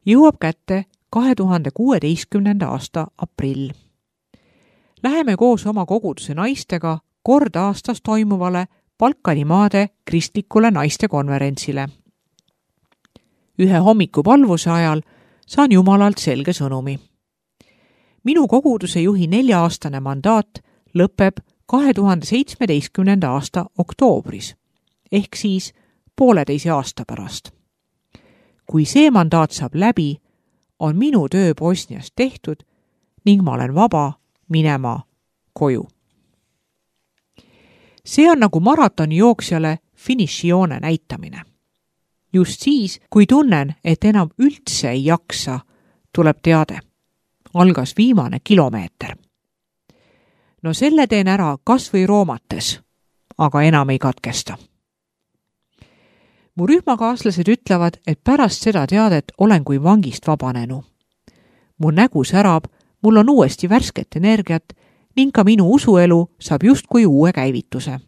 Jõuab kätte 2016. aasta aprill. Läheme koos oma koguduse naistega kord aastas toimuvale Balkanimaade kristlikule naistekonverentsile. Ühe hommikupalvuse ajal saan Jumalalt selge sõnumi. Minu koguduse juhi 4-aastane mandaat lõpeb 2017. aasta oktoobris, ehk siis 1,5 aasta pärast. Kui see mandaat saab läbi, on minu töö Bosnias tehtud ning ma olen vaba minema koju. See on nagu maratonijooksjale finišijoone näitamine. Just siis, kui tunnen, et enam üldse ei jaksa, tuleb teade. Algas viimane kilomeeter. No selle teen ära kas või roomates, aga enam ei katkesta. Mu rühmakaaslased ütlevad, et pärast seda teadet olen kui vangist vabanenu. Mu nägu särab, mul on uuesti värsket energiat ning ka minu usuelu saab justkui uue käivituse.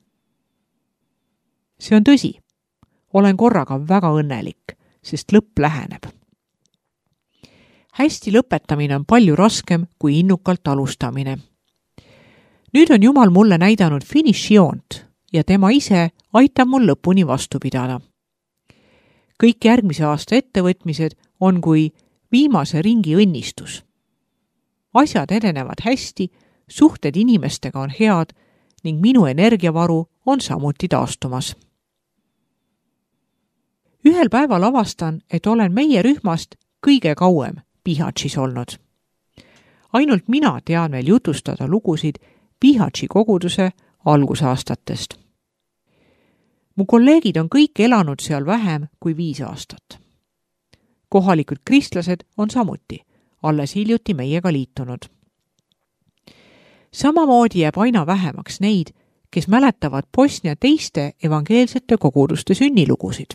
See on tõsi. Olen korraga väga õnnelik, sest lõpp läheneb. Hästi lõpetamine on palju raskem kui innukalt alustamine. Nüüd on Jumal mulle näidanud finišijoont ja tema ise aitab mul lõpuni vastu pidada. Kõik järgmise aasta ettevõtmised on kui viimase ringi õnnistus. Asjad edenevad hästi, suhted inimestega on head ning minu energiavaru on samuti taastumas. Ühel päeval avastan, et olen meie rühmast kõige kauem Bihaćis olnud. Ainult mina tean veel jutustada lugusid Bihaći koguduse algusaastatest. Mu kolleegid on kõik elanud seal vähem kui 5 aastat. Kohalikud kristlased on samuti, alles hiljuti meiega liitunud. Samamoodi jääb aina vähemaks neid, kes mäletavad Bosnia teiste evangeelsete koguduste sünnilugusid.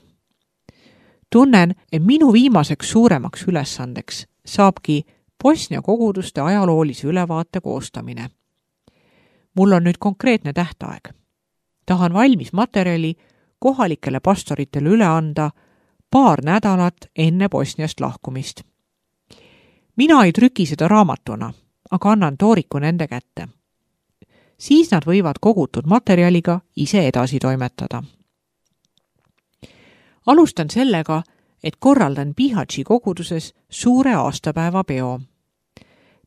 Tunnen, et minu viimaseks suuremaks ülesandeks saabki Bosnia koguduste ajaloolise ülevaate koostamine. Mul on nüüd konkreetne tähtaeg. Tahan valmis materjali kohalikele pastoritele üle anda 2 nädalat enne Bosniast lahkumist. Mina ei trüki seda raamatuna, aga annan tooriku nende kätte. Siis nad võivad kogutud materjaliga ise edasi toimetada. Alustan sellega, et korraldan Bihaći koguduses suure aastapäeva peo.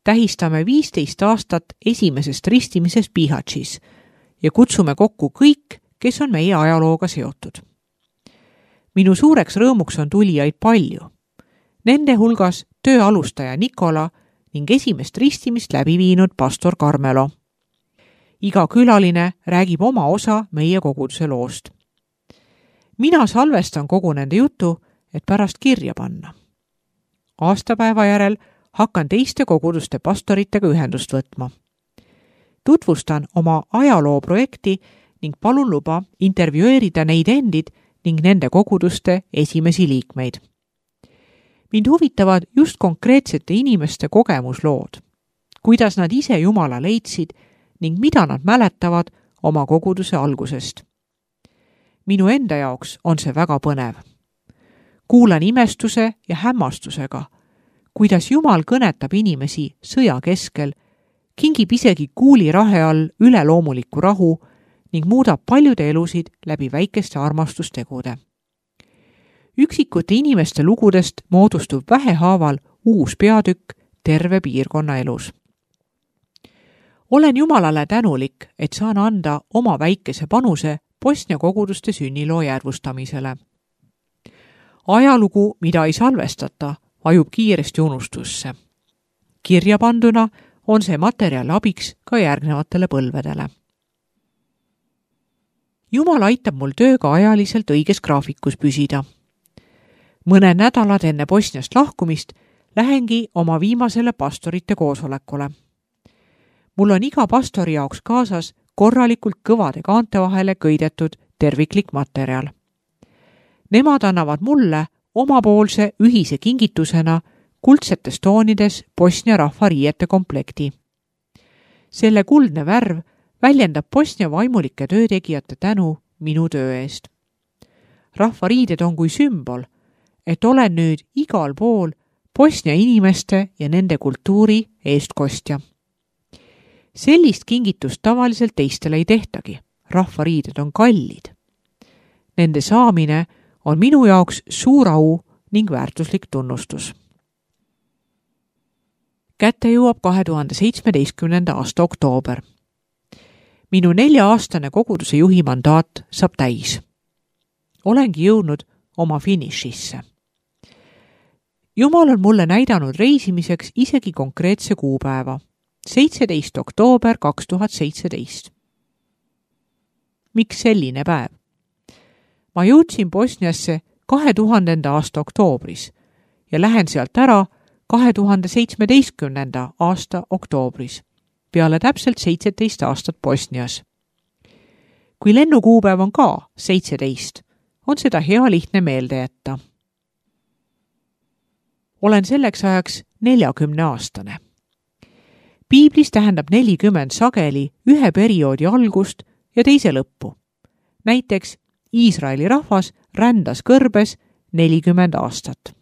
Tähistame 15 aastat esimesest ristimisest Bihaćis ja kutsume kokku kõik, kes on meie ajalooga seotud. Minu suureks rõõmuks on tulijaid palju. Nende hulgas töö alustaja Nikola ning esimest ristimist läbi viinud pastor Carmelo. Iga külaline räägib oma osa meie koguduse loost. Mina salvestan kogu nende jutu, et pärast kirja panna. Aastapäeva järel hakkan teiste koguduste pastoritega ühendust võtma. Tutvustan oma ajalooprojekti ning palun luba intervjueerida neid endid ning nende koguduste esimesi liikmeid. Mind huvitavad just konkreetsete inimeste kogemuslood, kuidas nad ise Jumala leidsid ning mida nad mäletavad oma koguduse algusest. Minu enda jaoks on see väga põnev. Kuulan imestuse ja hämmastusega, kuidas Jumal kõnetab inimesi sõja keskel, kingib isegi kuulirahe all üleloomuliku rahu ning muudab paljude elusid läbi väikeste armastustegude. Üksikute inimeste lugudest moodustub vähehaaval uus peatükk terve piirkonna elus. Olen Jumalale tänulik, et saan anda oma väikese panuse Bosnia koguduste sünniloo järvustamisele. Ajalugu, mida ei salvestata, vajub kiiresti unustusse. Kirja panduna on see materjal abiks ka järgnevatele põlvedele. Jumal aitab mul tööga ajaliselt õiges graafikus püsida. Mõned nädalad enne Bosniast lahkumist lähengi oma viimasele pastorite koosolekule. Mul on iga pastori jaoks kaasas korralikult kõvade kaante vahele köidetud terviklik materjal. Nemad annavad mulle omapoolse ühise kingitusena kuldsetes toonides Bosnia rahvariiete komplekti. Selle kuldne värv väljendab Bosnia vaimulike töötegijate tänu minu töö eest. Rahvariided on kui sümbol, et olen nüüd igal pool Bosnia inimeste ja nende kultuuri eestkostja. Sellist kingitust tavaliselt teistele ei tehtagi. Rahvariided on kallid. Nende saamine on minu jaoks suur au ning väärtuslik tunnustus. Kätte jõuab 2017. aasta oktoober. Minu 4-aastane koguduse juhi mandaat saab täis. Olengi jõudnud oma finišisse. Jumal on mulle näidanud reisimiseks isegi konkreetse kuupäeva, 17. oktoober 2017. Miks selline päev? Ma jõudsin Bosniasse 2000. aasta oktoobris ja lähen sealt ära 2017. aasta oktoobris, peale täpselt 17 aastat Bosnias. Kui lennukuupäev on ka 17, on seda hea lihtne meelde jätta. Olen selleks ajaks 40-aastane. Piiblis tähendab 40 sageli ühe perioodi algust ja teise lõppu. Näiteks Iisraeli rahvas rändas kõrbes 40 aastat.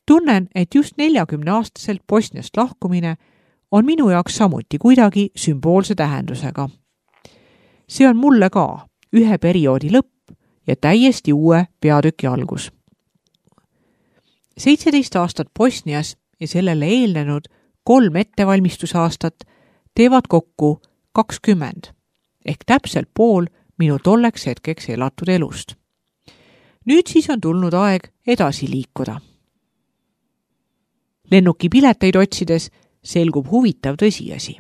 Tunnen, et just 40-aastaselt Bosniast lahkumine on minu jaoks samuti kuidagi sümboolse tähendusega. See on mulle ka ühe perioodi lõpp ja täiesti uue peatüki algus. 17 aastat Bosnias ja sellele eelnenud 3 ettevalmistusaastat teevad kokku 20, ehk täpselt pool minu tolleks hetkeks elatud elust. Nüüd siis on tulnud aeg edasi liikuda. Lennukipileteid otsides selgub huvitav tõsiasi.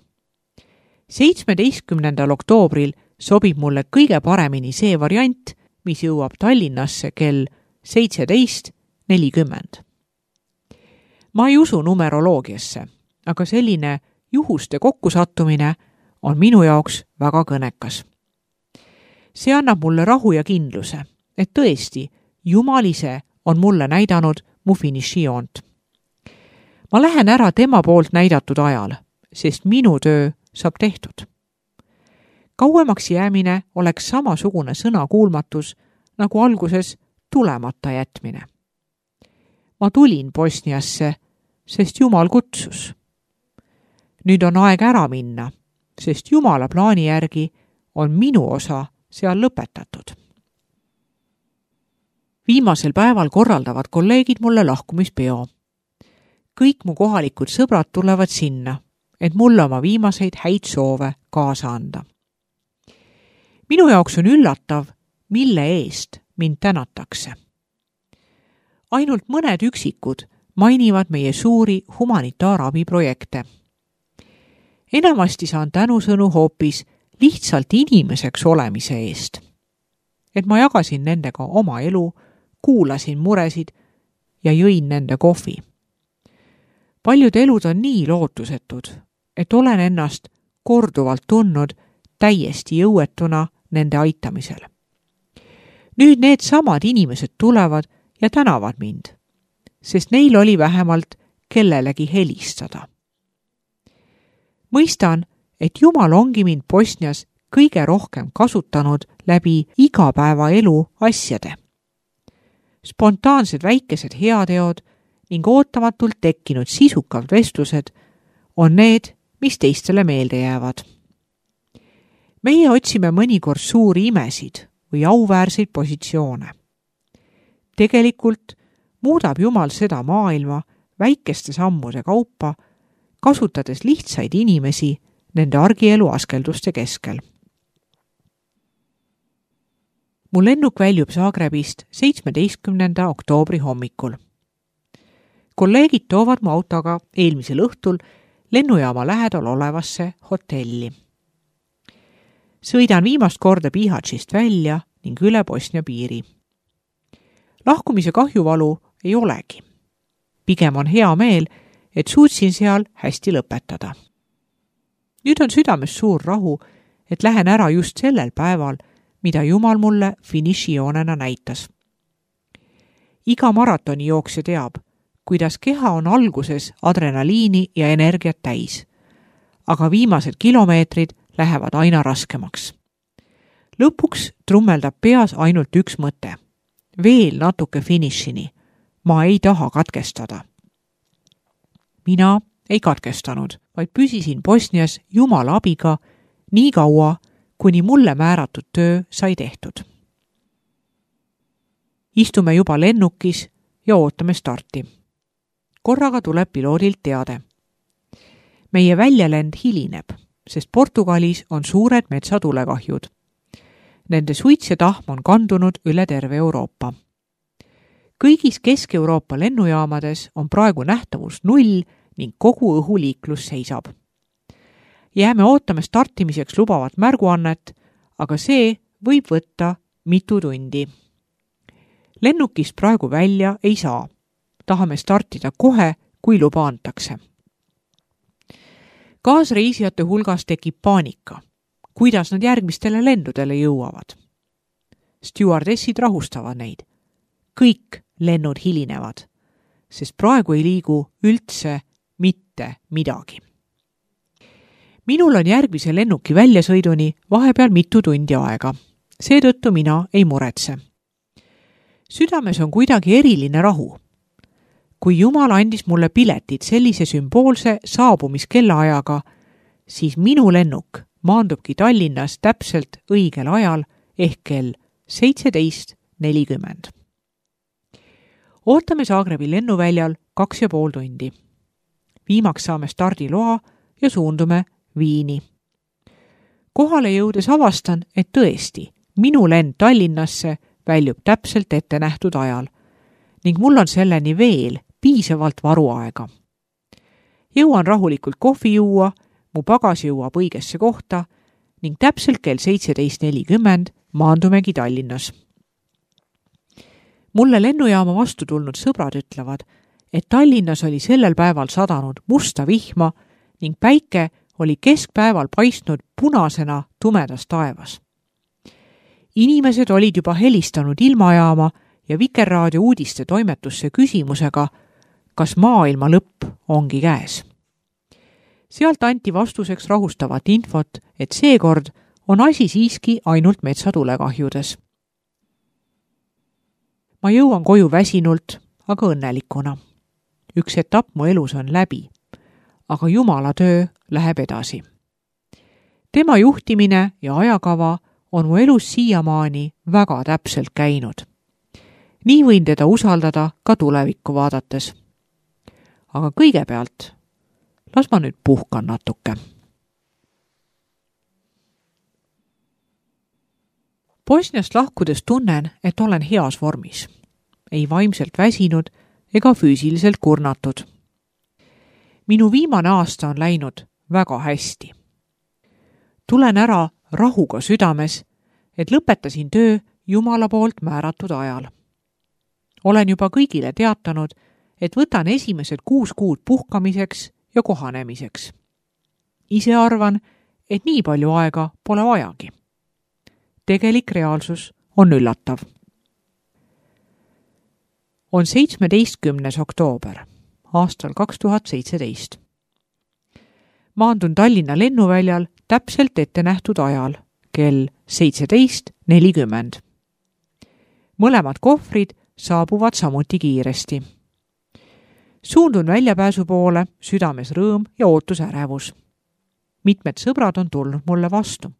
17. oktoobril sobib mulle kõige paremini see variant, mis jõuab Tallinnasse kell 17:40. Ma ei usu numeroloogiasse, aga selline juhuste kokkusattumine on minu jaoks väga kõnekas. See annab mulle rahu ja kindluse, et tõesti, Jumal ise on mulle näidanud mu finišijoont. Ma lähen ära tema poolt näidatud ajal, sest minu töö saab tehtud. Kauemaks jäämine oleks samasugune sõnakuulmatus, nagu alguses tulemata jätmine. Ma tulin Bosniasse, sest Jumal kutsus. Nüüd on aeg ära minna, sest Jumala plaani järgi on minu osa seal lõpetatud. Viimasel päeval korraldavad kolleegid mulle lahkumispeo. Kõik mu kohalikud sõbrad tulevad sinna, et mulle oma viimaseid häid soove kaasa anda. Minu jaoks on üllatav, mille eest mind tänatakse. Ainult mõned üksikud mainivad meie suuri humanitaarabiprojekte. Enamasti saan tänusõnu hoopis lihtsalt inimeseks olemise eest. Et ma jagasin nendega oma elu, kuulasin muresid ja jõin nende kohvi. Paljud elud on nii lootusetud, et olen ennast korduvalt tundnud täiesti jõuetuna nende aitamisel. Nüüd need samad inimesed tulevad ja tänavad mind, sest neil oli vähemalt kellelegi helistada. Mõistan, et Jumal ongi mind Bosnias kõige rohkem kasutanud läbi igapäevaelu asjade. Spontaansed väikesed heateod ning ootamatult tekkinud sisukad vestlused on need, mis teistele meelde jäävad. Meie otsime mõnikord suuri imesid või auväärseid positsioone. Tegelikult muudab Jumal seda maailma väikeste sammude kaupa, kasutades lihtsaid inimesi nende argielu askelduste keskel. Mu lennuk väljub Zagrebist 17. oktoobri hommikul. Kolleegid toovad mu autoga eelmisel õhtul lennujaama lähedal olevasse hotelli. Sõidan viimast korda Bihaćist välja ning üle Bosnia piiri. Lahkumise kahjuvalu ei olegi. Pigem on hea meel, et suutsin seal hästi lõpetada. Nüüd on südames suur rahu, et lähen ära just sellel päeval, mida Jumal mulle finišijoonena näitas. Iga maratoni jooksja teab, kuidas keha on alguses adrenaliini ja energiat täis, aga viimased kilomeetrid lähevad aina raskemaks. Lõpuks trummeldab peas ainult üks mõte. Veel natuke finišini. Ma ei taha katkestada. mina ei katkestanud, vaid püsisin Bosnias Jumala abiga nii kaua, kuni mulle määratud töö sai tehtud. Istume juba lennukis ja ootame starti. Korraga tuleb piloodilt teade. Meie väljalend hilineb, sest Portugalis on suured metsatulekahjud. Nende suits ja tahm on kandunud üle terve Euroopa. Kõigis Kesk-Euroopa lennujaamades on praegu nähtavus 0 ning kogu õhuliiklus seisab. Jääme ootame startimiseks lubavat märguannet, aga see võib võtta mitu tundi. Lennukist praegu välja ei saa. Tahame startida kohe, kui luba antakse. Kaasreisijate hulgas tekib paanika. Kuidas nad järgmistele lendudele jõuavad? Stewardessid rahustavad neid. Kõik lennud hilinevad, sest praegu ei liigu üldse mitte midagi. Minul on järgmise lennuki väljasõiduni vahepeal mitu tundi aega. Seetõttu mina ei muretse. Südames on kuidagi eriline rahu. Kui Jumal andis mulle piletid sellise sümboolse saabumiskellaajaga, siis minu lennuk maandubki Tallinnas täpselt õigel ajal ehk kell 17:40. Ootame Zagrebi lennuväljal 2,5 tundi. Viimaks saame stardiloa ja suundume Viini. Kohale jõudes avastan, et tõesti, minu lend Tallinnasse väljub täpselt ette nähtud ajal ning mul on selleni veel piisavalt varuaega. Jõuan rahulikult kohvi juua, mu pagas jõuab õigesse kohta ning täpselt kell 17:40 maandumegi Tallinnas. Mulle lennujaama vastu tulnud sõbrad ütlevad, et Tallinnas oli sellel päeval sadanud musta vihma ning päike oli keskpäeval paistnud punasena tumedas taevas. Inimesed olid juba helistanud ilmajaama ja Vikerraadio uudiste toimetusse küsimusega, kas maailma lõpp ongi käes. Sealt anti vastuseks rahustavat infot, et seekord on asi siiski ainult metsatulekahjudes. Ma jõuan koju väsinult, aga õnnelikuna. Üks etapp mu elus on läbi, aga Jumala töö läheb edasi. Tema juhtimine ja ajakava on mu elus siiamaani väga täpselt käinud. Nii võin teda usaldada ka tulevikku vaadates. Aga kõigepealt las ma nüüd puhkan natuke. Bosniast lahkudes tunnen, et olen heas vormis. Ei vaimselt väsinud ega füüsiliselt kurnatud. Minu viimane aasta on läinud väga hästi. Tulen ära rahuga südames, et lõpetasin töö Jumala poolt määratud ajal. Olen juba kõigile teatanud, et võtan esimesed 6 kuud puhkamiseks ja kohanemiseks. Ise arvan, et nii palju aega pole vajagi. Tegelik reaalsus on üllatav. On 17. oktoober aastal 2017. Maandun Tallinna lennuväljal täpselt ette nähtud ajal, kell 17:40. Mõlemad kohvrid saabuvad samuti kiiresti. Suundun väljapääsu poole, südames rõõm ja ootusärevus. Mitmed sõbrad on tulnud mulle vastu.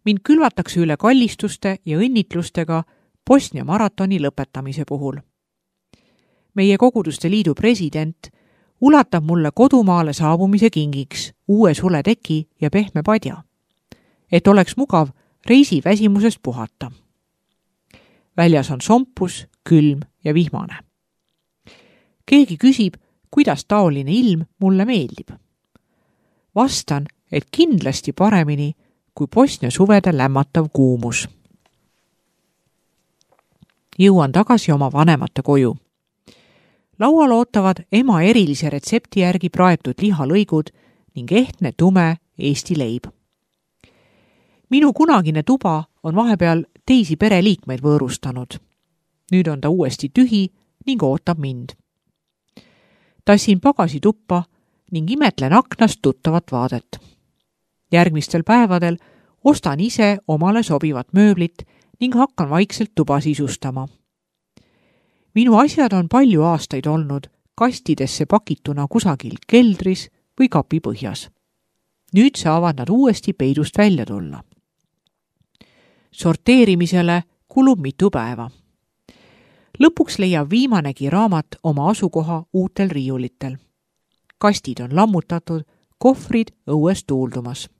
Mind külvatakse üle kallistuste ja õnnitlustega Bosnia maratoni lõpetamise puhul. Meie koguduste liidu president ulatab mulle kodumaale saabumise kingiks uue suleteki ja pehme padja, et oleks mugav reisiväsimusest puhata. Väljas on sompus, külm ja vihmane. Keegi küsib, kuidas taoline ilm mulle meeldib. Vastan, et kindlasti paremini kui Bosnia suvede lämmatav kuumus. Jõuan tagasi oma vanemate koju. Laual ootavad ema erilise retsepti järgi praetud lihalõigud ning ehtne tume Eesti leib. Minu kunagine tuba on vahepeal teisi pereliikmeid võõrustanud. Nüüd on ta uuesti tühi ning ootab mind. Tassin pagasi tuppa ning imetlen aknast tuttavat vaadet. Järgmistel päevadel ostan ise omale sobivat mööblit ning hakkan vaikselt tuba sisustama. Minu asjad on palju aastaid olnud kastidesse pakituna kusagil keldris või kapi põhjas. Nüüd saavad nad uuesti peidust välja tulla. Sorteerimisele kulub mitu päeva. Lõpuks leiab viimanegi raamat oma asukoha uutel riiulitel. Kastid on lammutatud, kohvrid õues tuuldumas.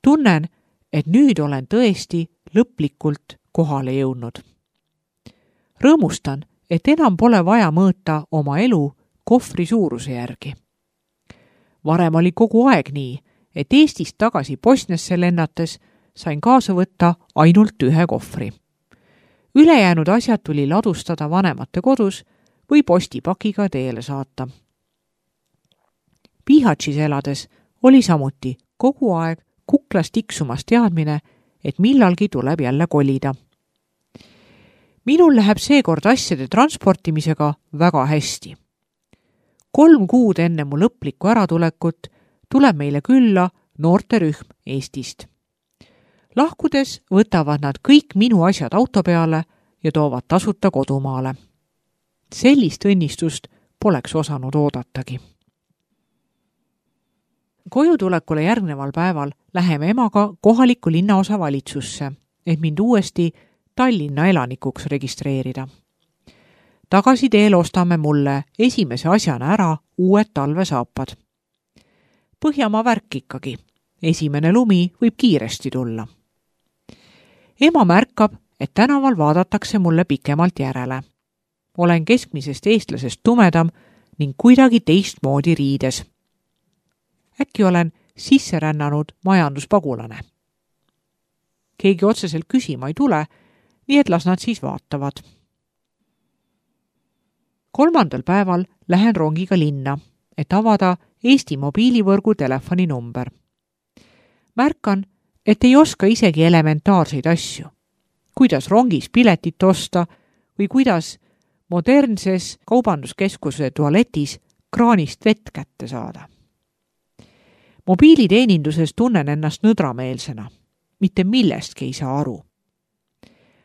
Tunnen, et nüüd olen tõesti lõplikult kohale jõudnud. Rõõmustan, et enam pole vaja mõõta oma elu kohvri suuruse järgi. Varem oli kogu aeg nii, et Eestist tagasi Bosniasse lennates sain kaasa võtta ainult ühe kohvri. Ülejäänud asjad tuli ladustada vanemate kodus või postipakiga teele saata. Bihaćis elades oli samuti kogu aeg kuklas tiksumas teadmine, et millalgi tuleb jälle kolida. Minul läheb seekord asjade transportimisega väga hästi. 3 kuud enne mu lõplikku äratulekut tuleb meile külla noorterühm Eestist. Lahkudes võtavad nad kõik minu asjad auto peale ja toovad tasuta kodumaale. Sellist õnnistust poleks osanud oodatagi. Kojutulekule järgneval päeval läheme emaga kohalikku linnaosa valitsusse, et mind uuesti Tallinna elanikuks registreerida. Tagasi teel ostame mulle esimese asjana ära uued talvesaapad. Põhjamaa värk ikkagi. Esimene lumi võib kiiresti tulla. Ema märkab, et tänaval vaadatakse mulle pikemalt järele. Olen keskmisest eestlasest tumedam ning kuidagi teistmoodi riides. Äkki olen sisse rännanud majanduspagulane. Keegi otseselt küsima ei tule, nii et las nad siis vaatavad. 3. päeval lähen rongiga linna, et avada Eesti mobiilivõrgu telefoninumber. Märkan, et ei oska isegi elementaarseid asju. Kuidas rongis piletit osta või kuidas modernses kaubanduskeskuse tualetis kraanist vett kätte saada. Mobiiliteeninduses tunnen ennast nõdrameelsena. Mitte millestki ei saa aru.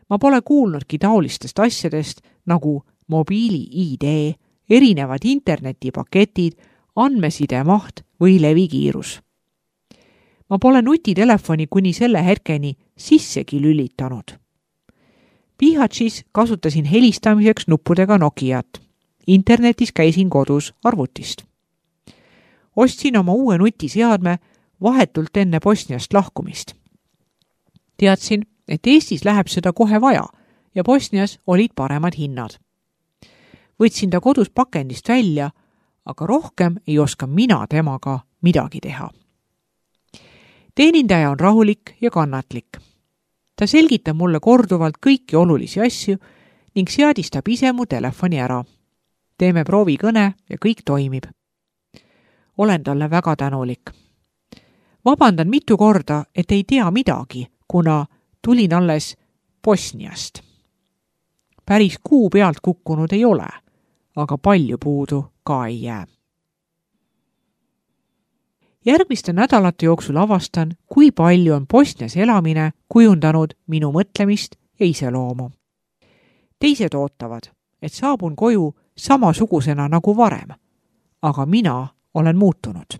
Ma pole kuulnudki taolistest asjadest nagu mobiili-ID, erinevad internetipaketid, andmeside maht või levikiirus. Ma pole nutitelefoni kuni selle hetkeni sissegi lülitanud. Bihaćis kasutasin helistamiseks nuppudega Nokiat. Internetis käisin kodus arvutist. Ostsin oma uue nutiseadme vahetult enne Bosniast lahkumist. Teadsin, et Eestis läheb seda kohe vaja ja Bosnias olid paremad hinnad. Võtsin ta kodus pakendist välja, aga rohkem ei oska mina temaga midagi teha. Teenindaja on rahulik ja kannatlik. Ta selgitab mulle korduvalt kõiki olulisi asju ning seadistab ise mu telefoni ära. Teeme proovikõne ja kõik toimib. Olen talle väga tänulik. Vabandan mitu korda, et ei tea midagi, kuna tulin alles Bosniast. Päris kuu pealt kukkunud ei ole, aga palju puudu ka ei jää. Järgmiste nädalate jooksul avastan, kui palju on Bosnias elamine kujundanud minu mõtlemist ja iseloomu. Teised ootavad, et saabun koju samasugusena nagu varem, aga mina olen muutunud.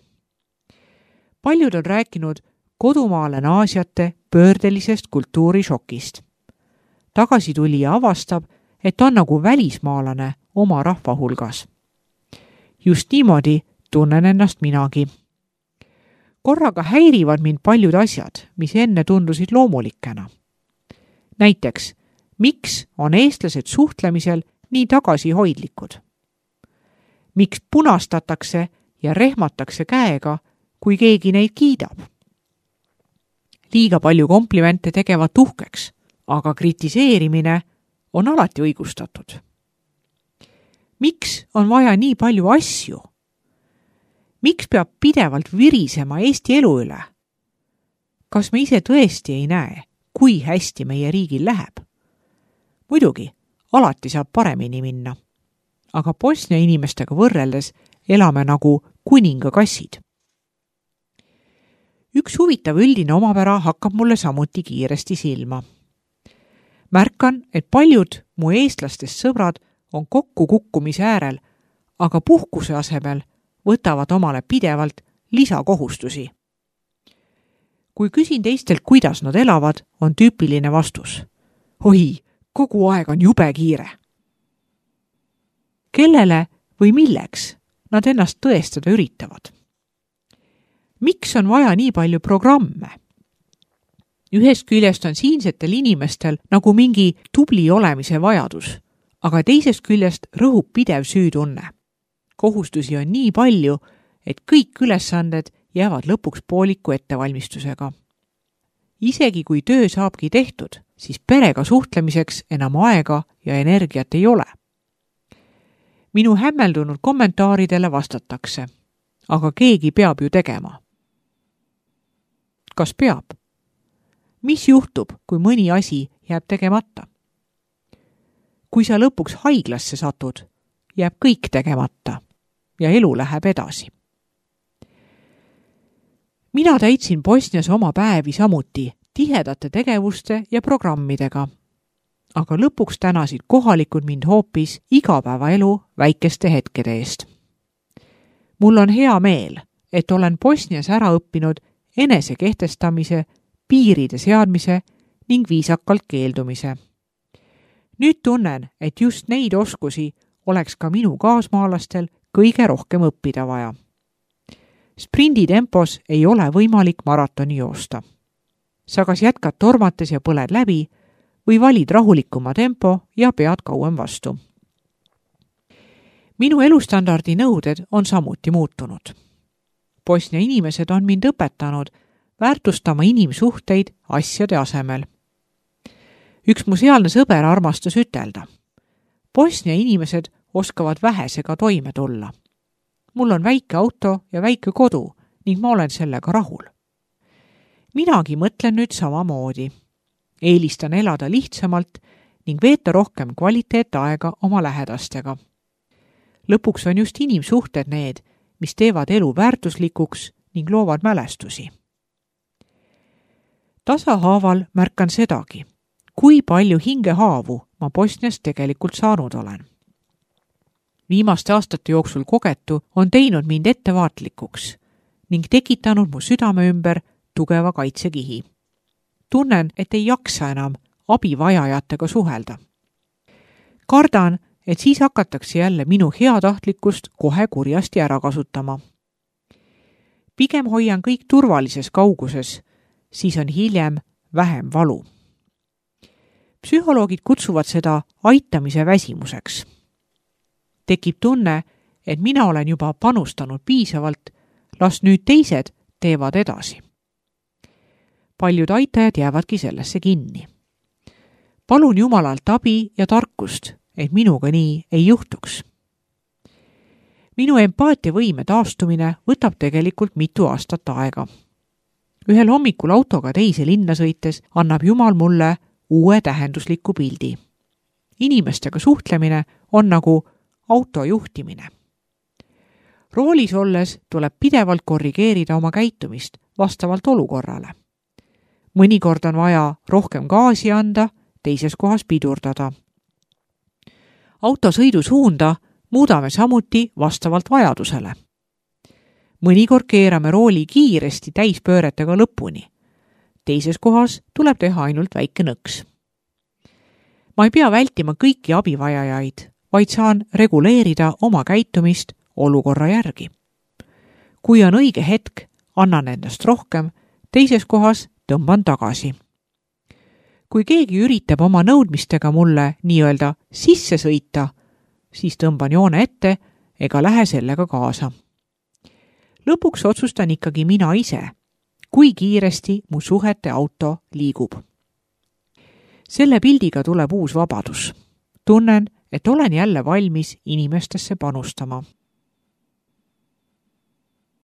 Paljud on rääkinud kodumaale naasjate pöördelisest kultuurishokist. Tagasitulija avastab, et on nagu välismaalane oma rahva hulgas. Just niimoodi tunnen ennast minagi. Korraga häirivad mind paljud asjad, mis enne tundusid loomulikena. Näiteks, miks on eestlased suhtlemisel nii tagasihoidlikud? Miks punastatakse ja rehmatakse käega, kui keegi neid kiidab? Liiga palju komplimente tegevad uhkeks, aga kritiseerimine on alati õigustatud. Miks on vaja nii palju asju? Miks peab pidevalt virisema Eesti elu üle? Kas me ise tõesti ei näe, kui hästi meie riigil läheb? Muidugi, alati saab paremini minna. Aga Bosnia inimestega võrreldes elame nagu kuningakassid. Üks huvitav üldine omapära hakkab mulle samuti kiiresti silma. Märkan, et paljud mu eestlastest sõbrad on kokkukukkumise äärel, aga puhkuse asemel võtavad omale pidevalt lisakohustusi. Kui küsin teistelt, kuidas nad elavad, on tüüpiline vastus. Oi, kogu aeg on jube kiire. Kellele või milleks nad ennast tõestada üritavad? Miks on vaja nii palju programme? Ühest küljest on siinsetel inimestel nagu mingi tubli olemise vajadus, aga teisest küljest rõhub pidev süütunne. Kohustusi on nii palju, et kõik ülesanded jäävad lõpuks pooliku ettevalmistusega. Isegi kui töö saabki tehtud, siis perega suhtlemiseks enam aega ja energiat ei ole. Minu hämmeldunud kommentaaridele vastatakse, aga keegi peab ju tegema. Kas peab? Mis juhtub, kui mõni asi jääb tegemata? Kui sa lõpuks haiglasse satud, jääb kõik tegemata ja elu läheb edasi. Mina täitsin Bosnias oma päevi samuti tihedate tegevuste ja programmidega, aga lõpuks tänasid kohalikud mind hoopis igapäevaelu väikeste hetkede eest. Mul on hea meel, et olen Bosnias ära õppinud enese kehtestamise, piiride seadmise ning viisakalt keeldumise. Nüüd tunnen, et just neid oskusi oleks ka minu kaasmaalastel kõige rohkem õppida vaja. Sprindi tempos ei ole võimalik maratoni joosta. Sa kas jätkad tormates ja põled läbi või valid rahulikuma tempo ja pead kauem vastu. Minu elustandardi nõuded on samuti muutunud. Bosnia inimesed on mind õpetanud väärtustama inimsuhteid asjade asemel. Üks mu sealne sõber armastas ütelda. Bosnia inimesed oskavad vähesega toime tulla. Mul on väike auto ja väike kodu ning ma olen sellega rahul. Minagi mõtlen nüüd samamoodi. Eelistan elada lihtsamalt ning veeta rohkem kvaliteetaega oma lähedastega. Lõpuks on just inimsuhted need, mis teevad elu väärtuslikuks ning loovad mälestusi. Tasahaaval märkan sedagi, kui palju hingehaavu ma Bosnias tegelikult saanud olen. Viimaste aastate jooksul kogetu on teinud mind ettevaatlikuks ning tekitanud mu südame ümber tugeva kaitsekihi. Tunnen, et ei jaksa enam abivajajatega suhelda. Kardan, et siis hakatakse jälle minu heatahtlikkust kohe kurjasti ära kasutama. Pigem hoian kõik turvalises kauguses, siis on hiljem vähem valu. Psühholoogid kutsuvad seda aitamise väsimuseks. Tekib tunne, et mina olen juba panustanud piisavalt, las nüüd teised teevad edasi. Paljud aitajad jäävadki sellesse kinni. Palun Jumalalt abi ja tarkust, et minuga nii ei juhtuks. Minu empaatiavõime taastumine võtab tegelikult mitu aastat aega. Ühel hommikul autoga teise linna sõites annab Jumal mulle uue tähendusliku pildi. Inimestega suhtlemine on nagu auto juhtimine. Roolis olles tuleb pidevalt korrigeerida oma käitumist vastavalt olukorrale. Mõnikord on vaja rohkem gaasi anda, teises kohas pidurdada. Auto sõidusuunda muudame samuti vastavalt vajadusele. Mõnikord keerame rooli kiiresti täispööretega lõpuni. Teises kohas tuleb teha ainult väike nõks. Ma ei pea vältima kõiki abivajajaid, vaid saan reguleerida oma käitumist olukorra järgi. Kui on õige hetk, annan endast rohkem, teises kohas tõmban tagasi. Kui keegi üritab oma nõudmistega mulle nii-öelda sisse sõita, siis tõmban joone ette ega lähe sellega kaasa. Lõpuks otsustan ikkagi mina ise, kui kiiresti mu suhete auto liigub. Selle pildiga tuleb uus vabadus. Tunnen, et olen jälle valmis inimestesse panustama.